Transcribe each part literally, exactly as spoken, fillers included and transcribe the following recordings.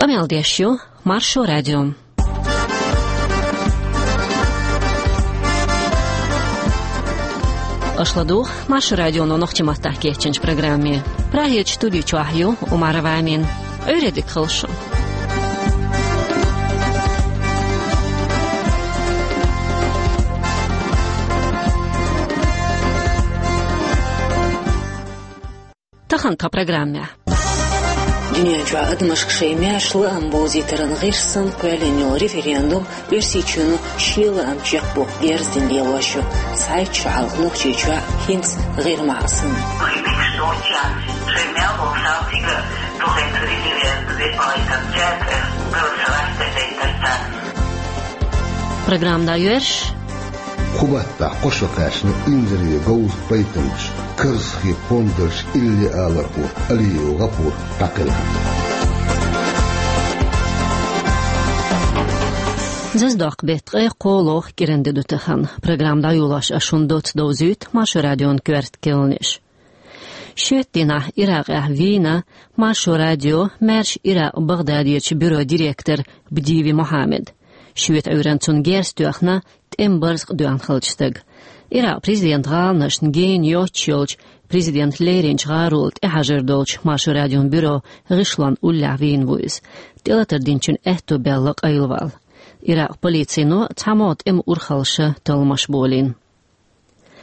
Къамел деш ю Маршо радио. Аша ладугӀу Маршо радионо нохчийн маттахь кечйинчу программе. Прагерчу студи чохь ю Умарова Амина. Ӏуьйре дика хуьлда шун. Тахана тхан программехь. Дуьнен чохь адамашка шайн маьрша лаам бовзийтаран гӀирс санна кхоьллина йолу референдум Оьрсийчоьно шен лаам чекхбоккху герз дина лелош ю, цхьайтта шо хьалха Нохчийчохь хӀинца ГӀирмахь санна. Программа дӀайоьрзуш. Кху баттахь кхо шо кхаьчна инзаре говза пайтамаш, карзахе пондарш илли алархо Алиев ГӀапур дӀакхелхина. Зазадоккху беттан ткъе кхоалгӀа кӀиран де ду тахана. Программа дӀайолош ас шуна доцца довзуьйту Маршо радион коьрта кхаьънаш. Шоьтан дийнахь Иракъехь вийна Маршо радион маьрша Иракъ-БагӀдадерчу бюрон директор Бдиеви Мохьаммад. Шоьтан Ӏуьйранна цунна герз тоьхна тӀеман барзакъ доьхна хиллачу стага. Иракъан президентан гӀаланашна гена йоццуш йолчу президентан леринчу гӀаролла тӀехьажар долчу Маршо радион бюрон гӀишлонна уллехь вийна ву иза, тӀелатар динчун аьтто баьлла къайлавала. Иракъан полицино цхьамогӀа тӀеман урхаллаша талламаш болийна.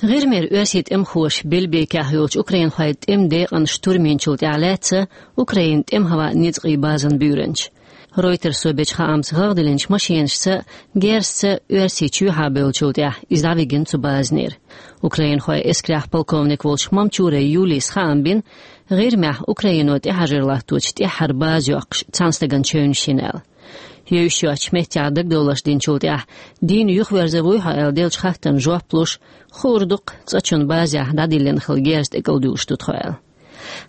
ГӀирмера оьрсийн тӀемахоша Белбекехь йолчу украинхойн тӀеман декъан штурм йинчул тӀаьхьа лаьцна Украинан тӀеман-хӀаваан ницкъийн базана буьйранча. Ройтерсо бечу хаамца, гӀагӀ диллинчу машинашца, герзаца оьрсий чоьхьа бевллачул тӀаьхьа иза дӀавигина цу базанера. Украинхойн эскарехь полковник волчу Мамчурай Юлийс хаам бина, ГӀирмехь Украино тӀехьажар латточу тӀаьххьара база йоккхуш цхьана стагана чевнаш йина аьлла. Йовзуш йоцчу меттехь дагадовларш динчул тӀаьхьа, дийна юхаверзар вуй хьо аьлла деллачу хаттарна жоп луш, хуур ду-кх, цкъачунна базехь дӀадиллина хилла герз тӀекӀалдуьйлуш ду тхо аьлла.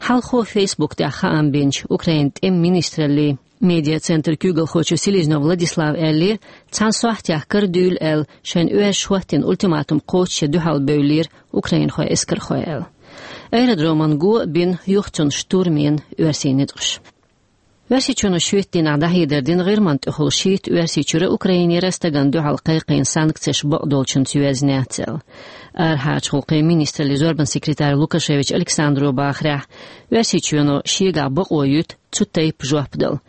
Хьалхо Facebook тӀехь хаам бинчу Украинан тӀеман министраллин медиацентран куьйгалхочо Селезнёв Владислава аьллера, цхьана сохьтехь кара дуьйла аьлла, шайна оьрсаша хӀоттийна ультиматум кхочушъян дуьхьал бевллера украинхойн эскархой аьлла. Аэродромана го а бина, юха цунна штурм йина оьрсийн ницкъаша. Оьрсийчоьно шоьтан дийнахь дӀахьедар дина ГӀирман тӀехула шийтта Оьрсийчуьра, Украинера стагана дуьхьал кхайкхийна санкцеш бакъдолчуьнца йоьзна яц аьлла. Арахьарчу гӀуллакхийн министраллин зорбанан секретарь Лукашевич Александро бахарехь, Оьрсийчоьно шегахь бакъо юьту цу тайпа жоп дала.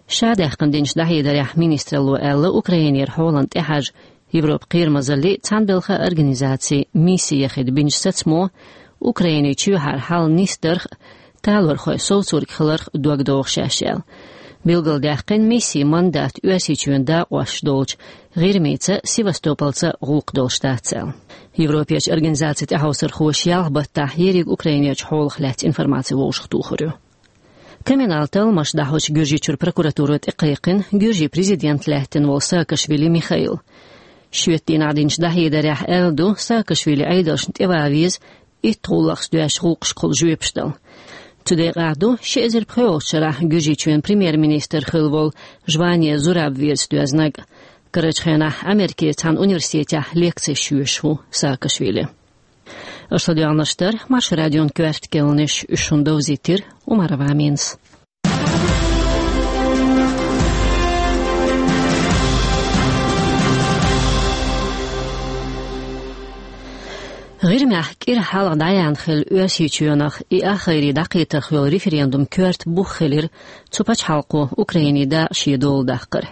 Ша даьккхина динчу дӀахьедарехь министралло аьлла, Украинера хьолан тӀехьажа Европан кхерамазаллин цхьаьнабелхан организацин мисси яхийта бинчу сацамо Украинин чоьхьара хьал нисдарх а, талорхой совцориг хиларх а дог доху шаьш аьлла. Билгалдаьккхина, миссин мандат Оьрсийчоьнан дакъош долчу ГӀирмица, Севастопольца гӀуллакх долуш дац аьлла. Европерчу организацин тӀаьхьовсархоша ялх баттахь ерриг Украинерчу хьолах лаьцна информаци вовшахтухур ю. Криминалан талламаш дӀахьочу Гуьржийчуьра прокуратуро тӀекхайкхина Гуьржийн президент лаьттина волу Саакашвили Михаил. Шоьтан дийнахь динчу дӀахьедарехь аьлла ду, Саакашвили Ӏедалшна тӀеван веза итт гӀуллакхца доьзначу гӀуллакхашка хуьлу жоьпаш дала. Цу декъехь ду, ши эзар пхоьалгӀачу шарахь Гуьржийчоьнан премьер-министр хилла волу Жване Зураб верца доьзнарг. Карарчу хенахь Америкерчу цхьана университетехь лекцеш йоьшуш ву Саакашвили. Аша ладоьгӀнарш дара Маршо радион коьрта кхаьънаш, уьш шуна довзийтира Умарова Аминас. ГӀирмехь кӀира хьалха дӀаяьхьна хилла Оьрсийчоьнах и ахгӀайре дӀакхетарх йолу референдум коьрта бух хилира цу пачхьалкхо Украинин дакъа шен дола даккхар.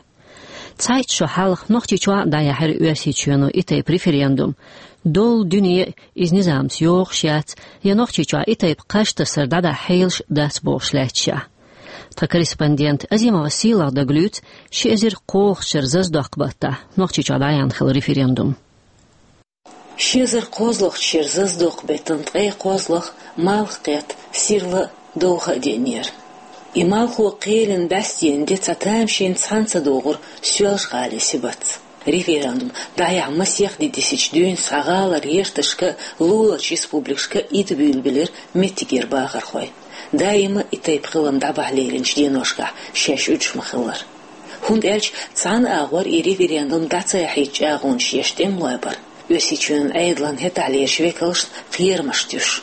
Цхьайтта шо хьалха Нохчийчохь а дӀаяьхьира Оьрсийчоьно и тайпа референдум. Долу дуьне иза низамца йогӀуш яц, я Нохчийчохь и тайпа кхаж тасар дӀадахьа хьелаш дац бохуш лаьтташехь. Тхан корреспондент Азимова Сийлаха дагалуьйцу ши эзар кхоалгӀачу шеран зазадоккху баттахь Нохчийчохь дӀаяьхьна хилла референдум. Ши эзар кхоалгӀачу шеран зазадоккху беттан ткъе кхоалгӀа малх кхетта, сирла а, довха а деанера. И малхо кхелина бӀаьстенан де цхьа тамашийна цхьаьна ца догӀура Соьлжа-ГӀалин сибатца. Референдум дӀаяхьа масех де дисича дуьйна цхьа гӀалара гӀерташка а, луларчу республикашка а итт буьйла билира меттигера бахархой. Даима и тайпа хилам дӀабахьа леринчу деношкахь шаьш уьдуш ма-хиллара. ХӀунда аьлча цхьана агӀор и референдум дӀа ца яхьийта чӀагӀонаш еш тӀемалой бара, Оьрсийчоьнан Ӏедалан хӀетахьлерчу векалшна кхерамаш туьйсуш.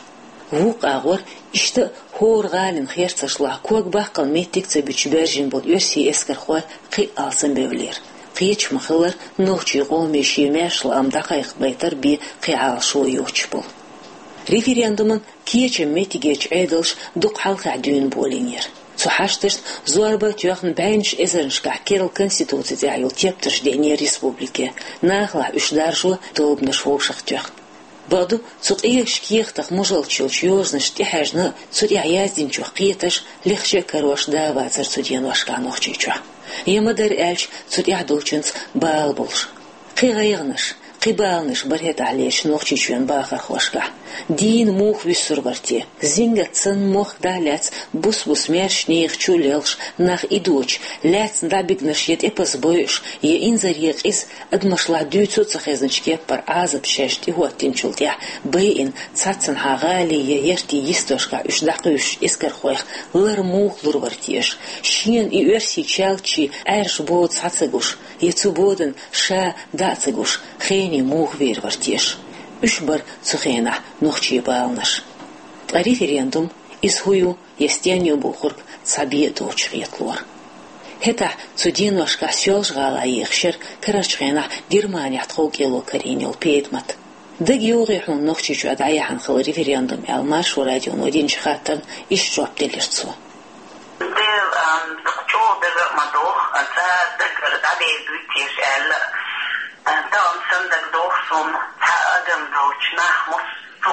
Вукху агӀор иштта хӀора гӀалин херцашлахь ког баккхал меттиг ца буьтуш баьржина болу оьрсийн эскархой кхин а алсамбевллера. Кхеташ ма-хиллара, нохчийн къоме шен маьрша лаам дӀакхайкхабайтар бен кхин Ӏалашо йоцуш болу. Референдуман кечам меттигерчу Ӏедалша дукха хьалхахь дуьйна болийнера. Цу хьашташна зорба а тоьхна, бӀеннаш эзарнашкахь керла конституци тӀехь йолу тептарш деънера республике, нахалахь уьш даржо тобанаш вовшахтоьхна. Бакъду, цу къегаш кехатах мужалччалчу йозанаш тӀехьаьжна, цу тӀехь яздинчух кхеташ лехча а карош да а вацара цу деношкахь Нохчийчохь. Я ма-дарра аьлча, цу тӀехь долчуьнца бала болуш. Кхин гӀайгӀанаш, кхин баланаш бара хӀетахь лелаш Нохчийчоьнан бахархошкахь. Дийна муха вуьсур вара те? Зингат санна мохк дӀа а лаьцна, бус-бус маьрша нехан чу а лелхаш, нах идочу, лаьцна дӀабигнарш я тӀепаза бойуш, я инзаре къиза, адамашлахь дуьйцу а ца хезначу кеппара Ӏазап шаьш тӀехӀоттинчул тӀаьхьа байина, цхьаццанхьа гӀалин я яртийн йистошкахь уьш дӀакхуьйсучу эскархойх лар муха лур вара теша? Шена и оьрсийн чалтчий Ӏаьржа бода схьа ца гуш, я цу бодан ша дӀа а ца гуш, хене муха вер вара теша? Уьш бара цу хенахь нохчийн баланаш. Ткъа референдум, иза хӀун ю, я стен ю бохург цхьа бен а доцуш хеталора. ХӀетахь цу деношкахь Соьлжа-ГӀалахь ехаш яра карарчу хенахь Германехь тхов кӀело карийна йолу петӀамат. Дага йогӀий хьуна Нохчийчохь дӀаяьхьна хилла референдум аьлла, Маршо радионо динчу хаттарна иштта жоп делира цо. Дела, ам, дукха чӀогӀа дага а ма догӀу, ца дагара дӀадер дуй теша аьлла, а, тахана санна дага догӀу суна, цхьа адам долчу нах мус- Цу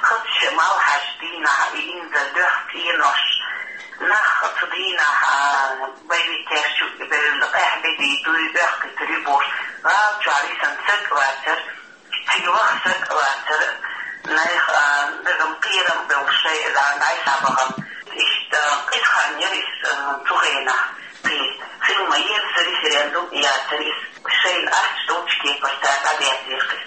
хазачу малхьаш дийнахь и инза доьхна цӀенош, нах цу дийнахь, а, боевикаш чу бевлла, къаьхьа бедий дуй, бехкийтур ю бохуш, гӀала чохь висина саг а вацара, цига ваха саг а вацара, нехан, а, дагам кхерам а бевлла шайн а дӀа-, дӀай схьабахана. Иштта къиза хан яра иза, а, цу хенахь. Кхин хила ма-еззара референдум яцара иза, шайна ахча долчу кепара цара дӀадерзийра кхин.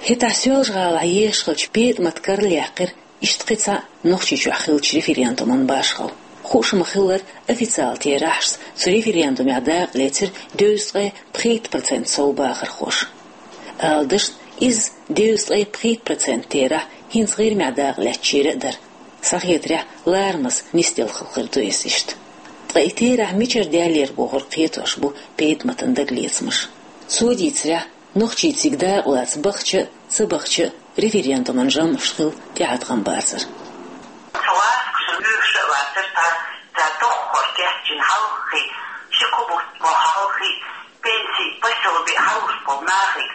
ХӀетахь Соьлжа-ГӀалахь ехаш хилча петӀамат карладаьккхира иштта кхин цхьаъ Нохчийчохь хиллачу референдуман башхалла. Хууш ма-хиллара, официалан терахьашца цу референдумехь дакъа лецира дезткъе пхийтта процент сов бахархоша. Ала дашна, иза дезткъе пхийтта процент терахь хӀинца ГӀирмехь дакъа лаьцначеран а дара. Схьахетарехь, ларамаза нисделла хилла хир ду иза иштта. Ткъа и терахь мичара даьллера бохург кхетош бу петӀаматан дагалецамаш. Цо дийцарехь, нохчий цига дакъа лаца бахча а, ца бахча а, референдуман жамӀаш хила тӀеӀаткъам бацара. Цу гӀазкхаша лоьхуш а вацара цара, цара доххор кечйина хьалххе, ши-кхо бутт боху хьалххе, пенсий, посёби хьалуш болу нахе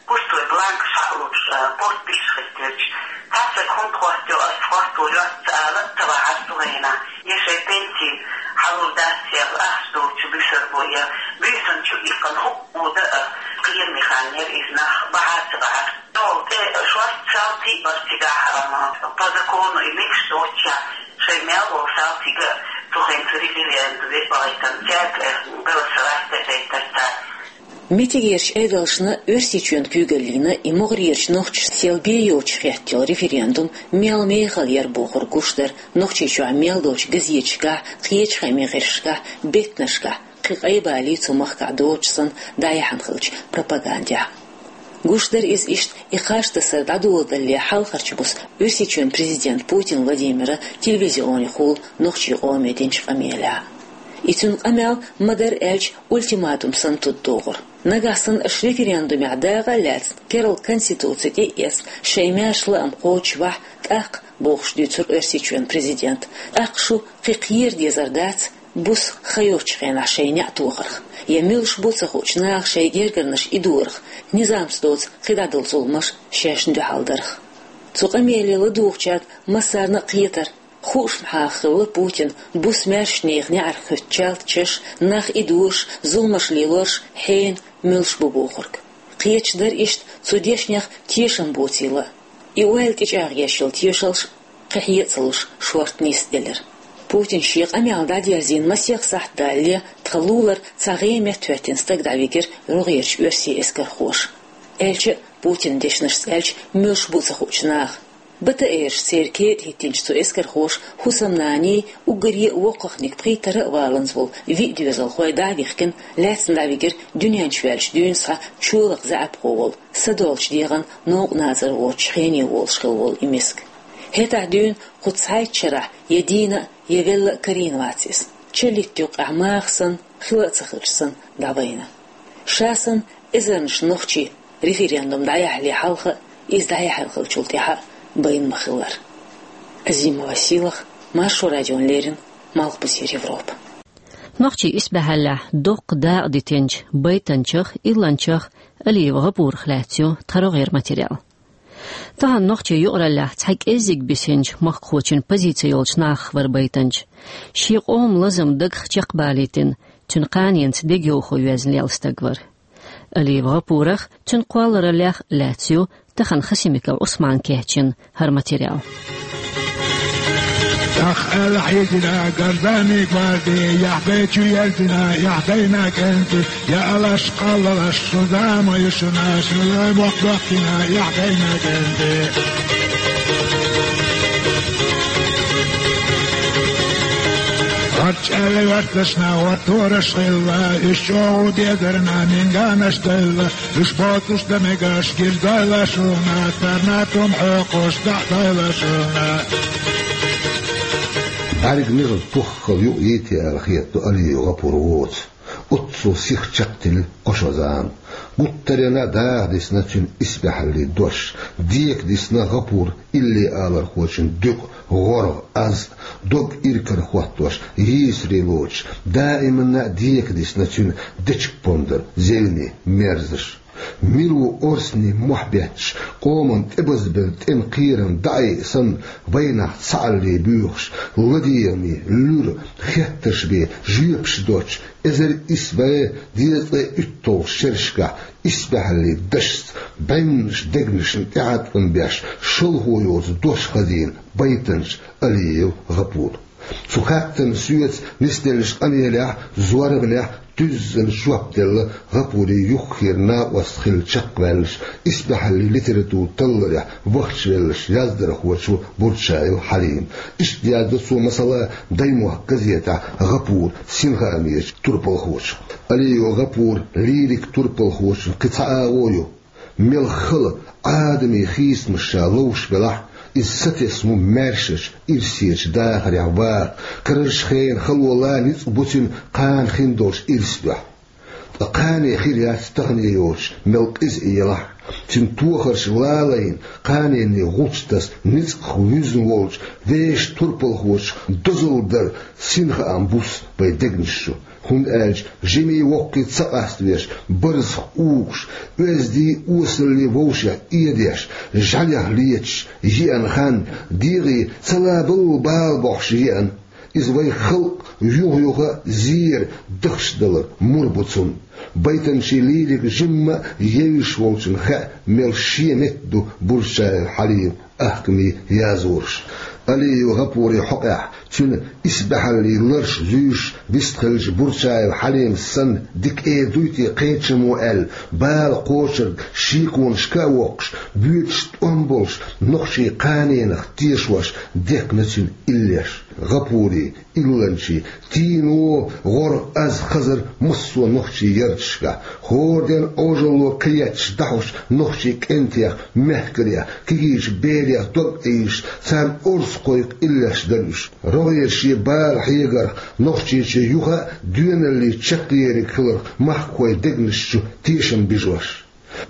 пустой бланкаш хьалуш, а, подписаш хӀиттош. Цхьацца хӀунда хӀоттайо, ас хӀотто йоцца ала а ца вахьара цу хенахь. Я шайн пенси хьалур дац, я ахча долчу буьсур бу, я буьйсанна чу иккхина хӀуъа да а, кхераме хан яра иза, нах бахьара ца бахьара. Цул тӀе шорта салтий а бара цигахь, а, по закону и мегаш доцчехь, шайн мел волу салтий а цу хенахь цу референдуман вебалайтан цаьрга, э, голосовать дезийтар цара. Меттигерчу Ӏедалшна, Оьрсийчоьнан куьйгаллина и могӀарерчу нохчашна сел бен йоцуш хеттайолу референдум мел мехала яра бохург гуш дара Нохчийчохь мел долчу газеташкахь, кхечу хаамийн гӀирсашкахь, беттанашкахь, кхин къайбалий цу махкахь доцуш санна дӀаяьхьна хиллачу пропагандехь. Гуш дара иза иштта и кхаж тасар дӀадоладалале хьалхарчу буса Оьрсийчоьнан президента Путин Владимира телевизионехула нохчийн къоме динчу къамелехь. И цуьнан къамел, ма-дарра аьлча, ультиматум санна туддогӀура. Нагахь санна аша референдумехь дакъа а лаьцна, керла конституци тӀе а эцна, шайн маьрша лаам кхочушвахь, тӀаккха, бохуш дуьйцура Оьрсийчоьнан президента, тӀаккха шу кхин кхера дезар дац, буса хан йоцчу хенахь шайн неӀ тохарх, я муьлш бу ца хуучу наха шайн гергарнаш идорах, низамца доцу кхидӀа долу зуламаш шайна дуьхьал дарх. Цу къамеле ладугӀучаьрга массарна а кхетара, хууш ма хилла Путина буса маьрша нехан неӀарх хӀуьтту чалтачаш, нах идораш, зуламаш лелораш хьенан муьлш бу бохург. Кхеташ дара иштта цу дешнех тешам боцийла а. И ойла тӀечӀагӀъеш йолу тешалш кхин хье а ца луш, шорта нисделира. Путина шен къамел дӀадерзийна масех сахьт далале, тхан лулара цхьа гӀеметта хӀоьттина стаг дӀавигира рогӀерчу оьрсийн эскархоша. Аьлча а, Путинан дешнашца аьлча, муьлш бу ца хуучу наха. БТР-аш церан кетӀа хӀиттинчу цу эскархоша хӀусамнаний, уггаре а воккхахниг пхийттара а валанза волу виъ доьзалхой дӀа а вихкина, лаьцна дӀавигира дуьнен чу ваьлча дуьйна схьа чолакх заьӀапхо волу, садолчу дегӀан новкъа назар воцуш хене волуш хилла волу и миска. ХӀетахь дуьйна кху цхьайтта шарахь я дийна а, я велла а карийна вац иза. Чиллиттан юккъехь маха санна, хила а ца хилча санна, дӀавайна. Ша санна, эзарнаш нохчий референдум дӀаяхьале хьалха а, иза дӀаяьхьна хиллачул тӀаьхьа а байна ма-хиллара. Азимова Сийлаха, Маршо радиона леррина, Малхбузера Европа. Нохчийн исбаьхьаллехь доккха дакъа дитинчу байтанчех, илланчех Алиев ГӀапурах лаьцна ю тхан рогӀера материал. Тахана нохчийн юкъараллехь цхьа кӀеззиг бисинчу махкахочун позици йолчу нахах вара байтанча. Шен къоман лазам дагах чекхбалийтина, цуьнан кханенца дегайовхо йоьзна лелла стаг вара. Алиев ГӀапурах, цуьнан кхоллараллех а лаьцна ю тахана Хасимиков Ӏусмана кечйина хӀара материал. Ах, аьлла хьийзира гражданийн гварди, яхь гайчу яздина, яхь гайна кӀентий, я алаш, кхаллалаш, шу зама ю шуна, шу боккъ бохкина, яхь гайна кӀентий. Харч аьлла ваьрташна, хӀоттараш хилла, уьш чӀогӀа дезарна, минганаш делла, уьш боцуш дан мегаш гирзойла шуна, царна тӀом хьоькхуш дӀадойла шуна. БӀаьрг мегар пуххал юкъа йийти аьлла хетадо Алиев ГӀапур воцу. Оццул сиха чекхтилла кхо шо зама. Гуттаренна даха дисна цуьнан исбаьхьаллин дош, дека дисна ГӀапур илли алархочун дуькъа, гӀоргӀа, аз а, дог иракарахӀоттош, йийсаре лоцуш, даиманна а дека дисна цуьнан дечиг-пондар, зевне, мерзаш. Мила ву орцанийн мохь бетташ, къоман тӀебазбелла тӀеман кхерам дӀаайъа санна, вайнах цхьаалле буьйхуш, ладегӀаме, луьра, хеттарш бен, жоьпаш доцуш, эзар исс бӀе дезткъе уьтталгӀачу шерашкахь исбаьхьаллин дашца бӀеннаш дегнашна тӀеӀаткъам беш, шалхо йоцу дош хазийна байтанча Алиев ГӀапура. Цу хаттарна соьца нисделлачу къамелехь, зорбанехь туьззина жоп делла ГӀапуран юххера накъост хилла чекхваьллачу исбаьхьаллин литературан талларехь вахчавеллачу яздархочо Бурчаев Хьалима. Иштта яздо цо, масала, «Даймохк» газетехь ГӀапуран синхаамечу турпалхочух. Алиев ГӀапуран лирика турпалхочун кхин цхьа агӀо ю. Мел хала, Ӏадамийн хийцамаш ша ловш велахь а, иза сатесна ву маьршачу ирсечу дахарехь ваха, карарчу хенан хало лан ницкъ бу цуьнан кхана хин долчу ирс дуьхьа. Ткъа кхане хир яц тахане йоцуш мел къиза а елахь а, цуьнан тохарш лалайна, кханенан гӀулч таса ницкъах вуьзна волчу вешан турпалхочух дозалла дар синхаам буссу вайн дегнаш чу. ХӀунда аьлча жимий воккхий ца къаставеш, барзах угӀуш, оьздий осаллий вовшех эдеш, жӀаьлех леташ, еана хан, дегӀе ца лабалла бала бохьуш еана. Иза вайн халкъ юха-юха зера дахча далар мур бу цунна. Байтанчийн лирика жимма а евзаш волчунна хаьа, мел шен метта ду Бурчаев Хьалиман ахкамийн язбарш. Алиев ГӀапуран хьокъехь, цуьнан исбаьхьаллин ларш зуьйш вистхиллачу Бурчаев Хьалимас санна, дика эр дуй те кхечамо аьлла, бала кхочург шеконашка а воккхуш, боьдуш тӀом болуш, нохчийн кханенах тешош дехна цуьнан иллеш. ГӀапуран, илланчийн тийно гӀоргӀа аз хазар массо а нохчийн ярташкахь, хӀора ден Ӏожалло кхаетташ дӀахьош нохчийн кӀентех, мехкарех, кегийчу берех дог Ӏийшаш, царна орца кхойкху иллеш дара уьш. РогӀера шен бала хьегарх Нохчийчоь юха а доьналлин чекхъериг хиларх махкахойн дегнаш чу тешам бижош.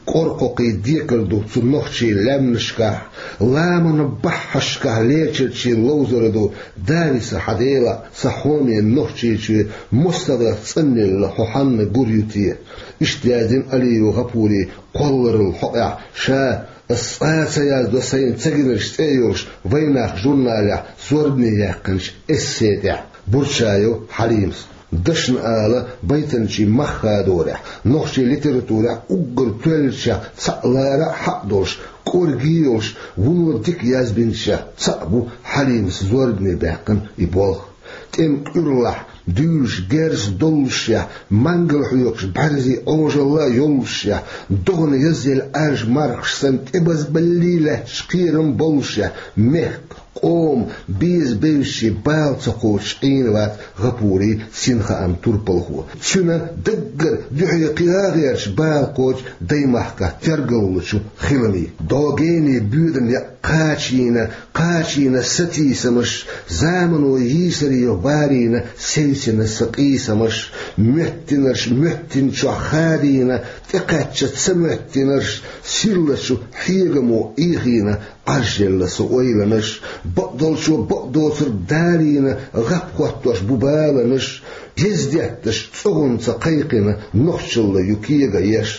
Къоркхокхий декал ду цу нохчийн лаьмнашкахь, ламанан баххьашкахь лечарчийн ловзар ду: «Дависа хьан Дела, сан хьоме Нохчийчоь, мостагӀех цӀанъелла хьо хьанна гур ю те?» Иштта яздина Алиев ГӀапуран кхолларалла хьокъехь, ша «Ас цкъа а ца яздо сайна ца гинарш» цӀе йолуш «Вайнах» журналехь зорбане яьккхинчу эссе тӀехь Бурчаев Хьалимас. Дашна ала, байтанчийн мах хадорехь, нохчийн литературехь уггар тоьллачех цхьаъ лара а хьакъ долуш, кӀорге а йолуш, вуно дика язбинчех цхьаъ бу Хьалимас зорбане баьккхина и болх. ТӀеман кӀуьрлахь, дуьйлуш герз доллушехь, мангал хьоькхуш бӀаьрзе Ӏожалла а йоллушехь, догӀана язъелла Ӏаьржа мархаш санна тӀебазбаллий лаьтташ кхерам боллушехь, мехках, Къоман беза бевзачийн бала ца кхочуш Ӏийна вац ГӀапурий синхааман турпалхо. Цуьнан даггара дуьхьал кхин а гӀерташ бала кхочу даймахкахь тергаллучу хиламийн. Догенийн боьдане кхачийна, кхачийна сатийсамаш, замано йийсаре варийна, севцина сан къийсамаш, моьттинарш моьттинчохь хадийна, тӀекхаьчча ца моьттинарш, сирлачу хьегамо Ӏийхийна, Ӏаржъелла сан ойланаш, бакъдолчо бакъдоцург далийна, гӀап хӀоттош бу баланаш, ездетташ цӀогӀанца кхайкхина, нохчалла ю кега еш.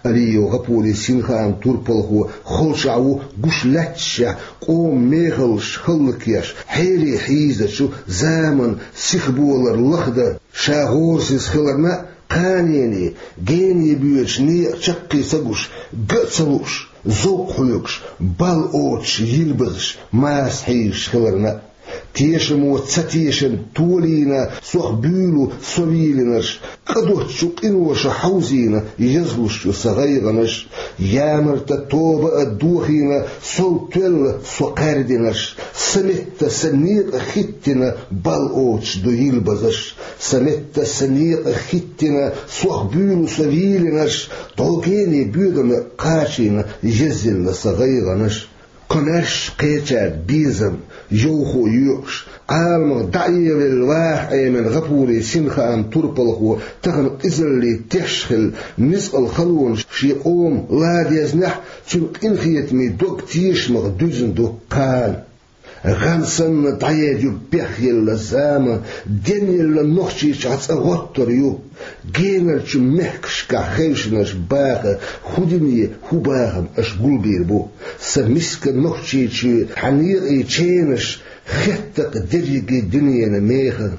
Алиев ГӀапурий синхааман турпалхо холчохь ву гуш лаьтташехь, къоман мехаллаш хӀаллакъеш, хьерий хьийзачу заманан сихболар лахдан, ша гӀорасиз хиларна а, кханенийн, генийн боьдачу некъан чаккхе ца гуш, ган а ца лууш, зовкх хьоьгуш, бал оцуш йилбазаш, маса хьийзаш хиларна а. Тешамо ца тешан толийна, сох буьйлу со вийлинарш, къа доцчу къиноша хьовзийна, язлуш ю сан гӀайгӀанаш. Ямарта тоба а дохийна, сов тоьлла со кхаьрдинарш, сан метта сан некъа хӀиттина, бал оцуш ду йилбазаш. Сан метта сан некъа хӀиттина, сох буьйлу со вийлинарш, догенийн боьдане кхачийна, езйелла сан гӀайгӀанаш. Комаьрша кхечаьрга безам, йовхо йоькъуш, Ӏаламах дӀаэвелла ваха Ӏемина ГӀапурий синхааман турпалхо тахана къизаллин теш хилла, ницкъала халонаш шен къоман ладезнехь, цуьнан къинхетамийн дог тешамах дуьзна ду кхана. ГӀан санна дӀаедъю бехъелла зама, денъелла Нохчийчохь цкъа гӀоттар ю. Генарчу мехкашкахь хевшинарш баха, хӀун дуьне, хӀун бахам аша гулбийр бу. Сан миска Нохчийчоь, хьан некъий ченаш, хеттакх дерриге дуьненан меха.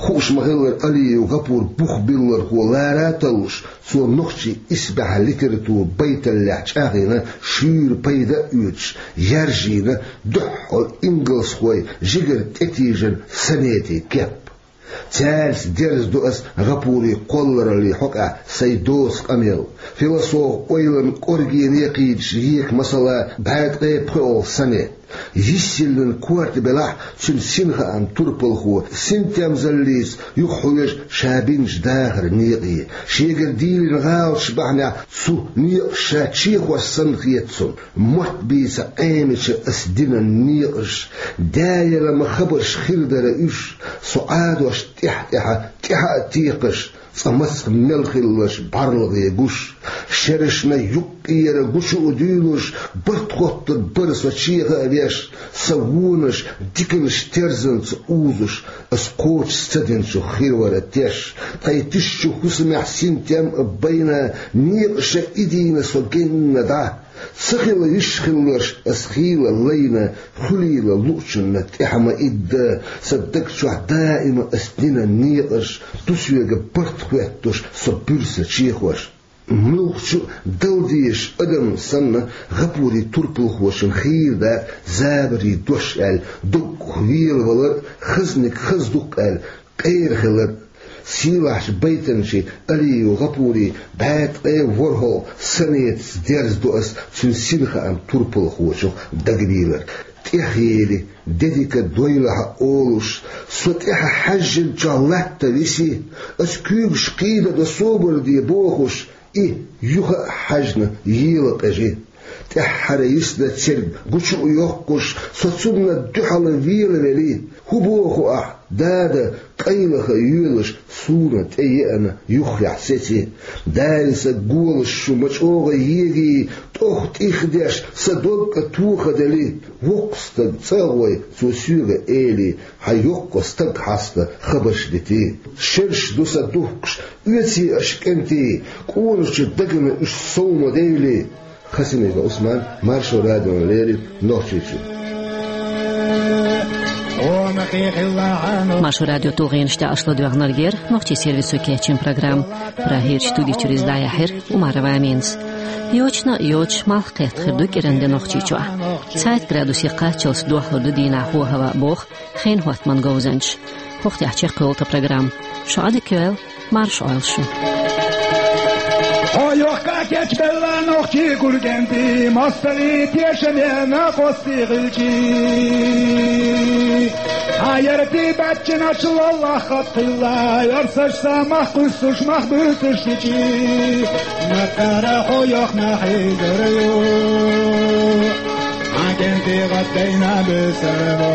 Хууш ма-хиллара, Алиев ГӀапур бух биллархо лара а таллуш, цо нохчийн исбаьхьа литература байталлехь чӀагӀйина, шуьйра пайда а оьцуш, яьржийна дуьххьал ингалсхойн жигара тӀетийжина сонетийн кеп. Цаьрца дерзадо ас ГӀапурий кхоллараллин хьокъехь сайн доцу къамел. Философан ойланан кӀоргене кхийдаш ека масала, бӀе ткъе пхоьалгӀа сонет. Йиссиллина корта белахь, цуьнан синхааман турпалхо синтемзаллица юхахьоьжу ша бинчу дахаран некъе. Шегара дийлина гӀалаташ бахьанехь цу некъаша ша чехош санна хета цунна. Мотт бийца Ӏемича ас динан некъаш, даьлла ма хабарш хир дара уьш, со Ӏадош тӀаьхьа-тӀаьхьа, тӀаьхьа а текхаш, цкъа мацах мел хилларш бӀарлагӀе гуш. Шерашна юккъера гучу а дуьйлуш, барт хоттур бара со чеха а веш, сан вонаш диканаш терзанца узуш, ас кхочуш ца динчух хир вара теш. Тхайн тишачу хӀусамехь синтем а байна, некъаша идийна со генна дӀа. Ца хила йиш хилларш ас хийла лайна, хуьлийла луучунна тӀаьхьа ма идда, сан даг чохь даима ас динан некъаш, ду соьга барт хоьттуш со буьрса чехош. Муьлххачу а дала дезаш адам санна, ГӀапурий турпалхочун хийра дакъа забарийн дош аьлла, доггах велавалар а, хазниг хаза ду-кх аьлла, къера хилар а. Сийлахьчу байтанчийн Алиев ГӀапурийн бӀе ткъе ворхӀалгӀа сонетаца дерзадо ас цуьнан синхааман турпалхочух дагабийлар. ТӀехъели, де дика дойлахь а олуш, со тӀаьхьа хьаьжжинчохь латта виси, ас куьйгаш кхийдадо собар де бохуш, и, юха а хьаьжна, ела къежи. ТӀаьххьара йисна церг гучу а йоккхуш, со цунна дуьхьал велавели. ХӀун боху ахь, дада, къайлаха йоьлуш, суна тӀееана юххехь сеци? Дайса голаш шу ма чӀогӀа егий, тӀох тӀихдеш, сан дог а тохадели. Воккха стаг цӀа а гӀой, цо соьга эли, хьан йоккха стаг хьаста хабарш дити. Шераш ду сан духкуш, оьций аша, кӀентий, къоначу дагна уьш сов ма дейли. Хасимиков Ӏусман, Маршо радиона леррина, Нохчийчуьра. Маршо радион тулгӀенаш тӀехь аша ладоьгӀнарг яра нохчийн сервисо кечйина программа. Прагерчу студи чуьра иза дӀаяьхьира Умарова Аминас. Йочана а йоцуш, малх кхетта хир ду кӀиран де Нохчийчохь. Цхьайтта градусе кхаччалц дохлур ду дийнахь хӀо-хӀаваъ, боху хенан хӀоттаман говзанчаша. ХӀокху тӀехь чекхйолу тхан программа. Шун Ӏадика йойла, марша Ӏойла шу. Хьо йохка кечбелла нохчий гургенди, мостали тешаме накъости гъилчи. Хьа ярти баччаначул Аллах хатхилла, ярсаш са мах къуссуш, мах буьтуш личи. Накара хьо йохна хьигара ю, хьа генди гъаддайна бесаро.